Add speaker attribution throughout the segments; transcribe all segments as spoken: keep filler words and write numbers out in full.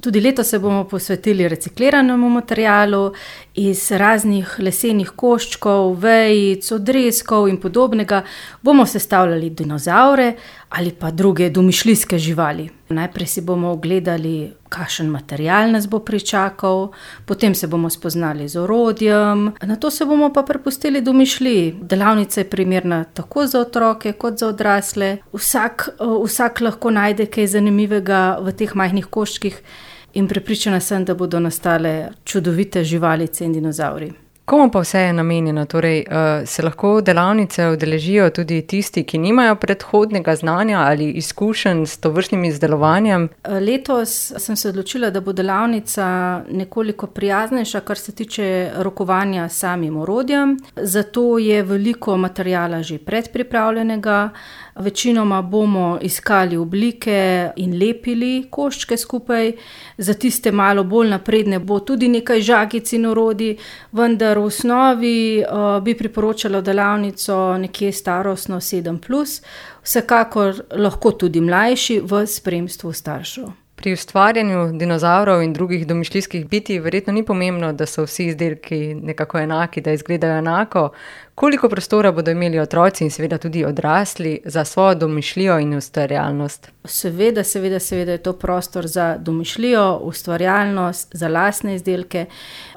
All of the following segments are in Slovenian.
Speaker 1: Tudi letos se bomo posvetili recikliranemu materialu. Iz raznih lesenih koščkov, vejic, odrezkov in podobnega bomo sestavljali dinozavre ali pa druge domišljijske živali. Najprej si bomo ogledali, kakšen material nas bo pričakal, potem se bomo spoznali z orodjem, nato se bomo pa prepustili domišljiji. Delavnica je primerna tako za otroke kot za odrasle. Vsak, vsak lahko najde kaj zanimivega v teh majhnih koščkih in prepričana sem, da bodo nastale čudovite živalice in dinozavri.
Speaker 2: Komu pa vse je namenjeno? Torej, se lahko delavnice udeležijo tudi tisti, ki nimajo predhodnega znanja ali izkušenj s tovrstnim izdelovanjem?
Speaker 1: Letos sem se odločila, da bo delavnica nekoliko prijaznejša, kar se tiče rokovanja s samim orodjem. Zato je veliko materiala že predpripravljenega. Večinoma bomo iskali oblike in lepili koščke skupaj. Za tiste malo bolj napredne bo tudi nekaj žagic in orodij, vendar v osnovi uh, bi priporočala delavnico nekje starostno sedem plus, vsekakor lahko tudi mlajši v spremstvu staršev.
Speaker 2: Pri ustvarjanju dinozavrov in drugih domišljijskih bitij verjetno ni pomembno, da so vsi izdelki nekako enaki, da izgledajo enako. Koliko prostora bodo imeli otroci in seveda tudi odrasli za svojo domišljijo in ustvarjalnost?
Speaker 1: Seveda, seveda, seveda je to prostor za domišljijo, ustvarjalnost, za lastne izdelke.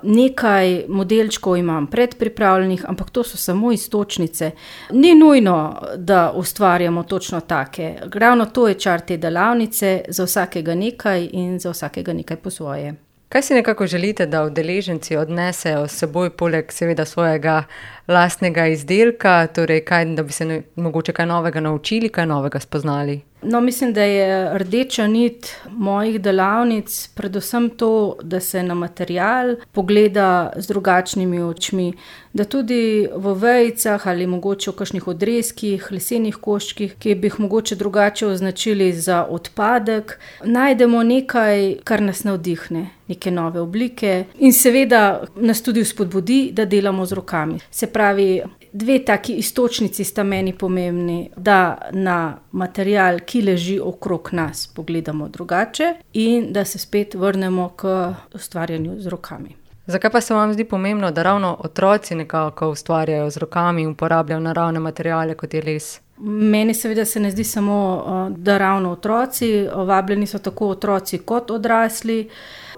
Speaker 1: Nekaj modelčkov imam predpripravljenih, ampak to so samo iztočnice. Ni nujno, da ustvarjamo točno take. Ravno to je čar te delavnice, za vsakega nekaj in za vsakega nekaj po svoje.
Speaker 2: Kaj si nekako želite, da udeleženci odnesejo s seboj poleg seveda svojega lastnega izdelka, torej kaj, da bi se ne, mogoče kaj novega naučili, kaj novega spoznali?
Speaker 1: No, mislim, da je rdeča nit mojih delavnic predvsem to, da se na material pogleda z drugačnimi očmi, da tudi v vejicah ali mogoče v kakšnih odrezkih, lesenih koščkih, ki bi jih mogoče drugače označili za odpadek, najdemo nekaj, kar nas navdihne, neke nove oblike in seveda nas tudi vzpodbudi, da delamo z rokami. Se pravi, dve taki iztočnici sta meni pomembni, da na material, ki leži okrog nas, pogledamo drugače in da se spet vrnemo k ustvarjanju z rokami.
Speaker 2: Zakaj pa se vam zdi pomembno, da ravno otroci nekako ustvarjajo z rokami in uporabljajo naravne materiale, kot je les?
Speaker 1: Meni seveda se ne zdi samo, da ravno otroci, vabljeni so tako otroci kot odrasli.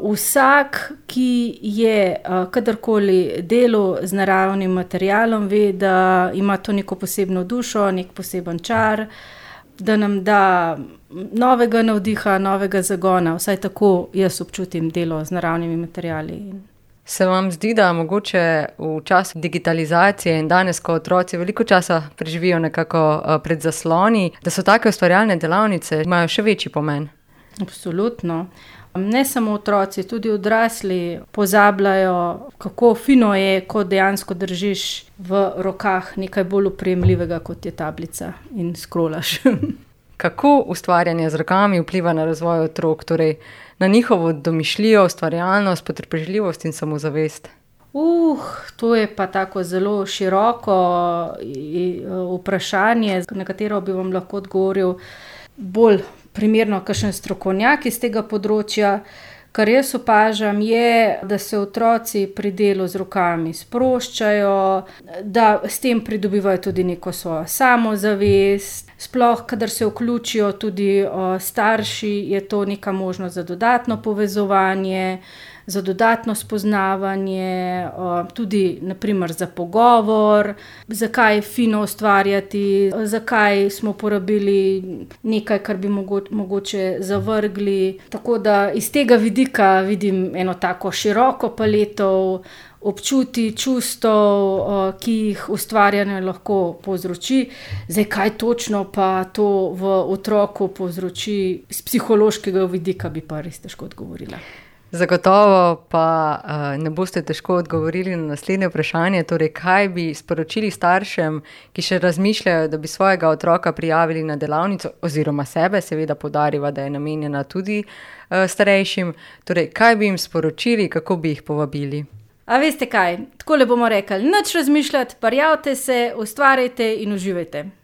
Speaker 1: Vsak, ki je kadarkoli delal z naravnim materialom, ve, da ima to neko posebno dušo, nek poseben čar, da nam da novega navdiha, novega zagona. Vsaj tako jaz občutim delo z naravnimi materiali.
Speaker 2: Se vam zdi, da mogoče v času digitalizacije in danes, ko otroci veliko časa preživijo nekako pred zasloni, da so take ustvarjalne delavnice, imajo še večji pomen?
Speaker 1: Absolutno. Ne samo otroci, tudi odrasli pozabljajo, kako fino je, ko dejansko držiš v rokah nekaj bolj opremljivega, kot je tablica in scrollaš.
Speaker 2: Kako ustvarjanje z rokami vpliva na razvoj otrok, torej na njihovo domišljijo, ustvarjalnost, potrpežljivost in samozavest?
Speaker 1: Uh, to je pa tako zelo široko vprašanje, na katero bi vam lahko odgovoril bolj primerno kakšen strokovnjak iz tega področja. Kar jaz opažam je, da se otroci pri delu z rokami sproščajo, da s tem pridobivajo tudi neko svojo samozavest. Sploh, kadar se vključijo tudi o, starši, je to neka možnost za dodatno povezovanje, za dodatno spoznavanje, o, tudi naprimer za pogovor, zakaj je fino ustvarjati, zakaj smo porabili nekaj, kar bi mogo, mogoče zavrgli. Tako da iz tega vidika vidim eno tako široko paleto občuti, čustev, ki jih ustvarjanje lahko povzroči. Zdaj, kaj točno pa to v otroku povzroči z psihološkega vidika, bi pa res težko odgovorila.
Speaker 2: Zagotovo pa uh, ne boste težko odgovorili na naslednje vprašanje, torej kaj bi sporočili staršem, ki še razmišljajo, da bi svojega otroka prijavili na delavnico oziroma sebe, seveda poudarjava, da je namenjena tudi uh, starejšim, torej kaj bi jim sporočili, kako bi jih povabili?
Speaker 1: A veste kaj, takole bomo rekli, nič razmišljati, prijavite se, ustvarjajte in uživajte.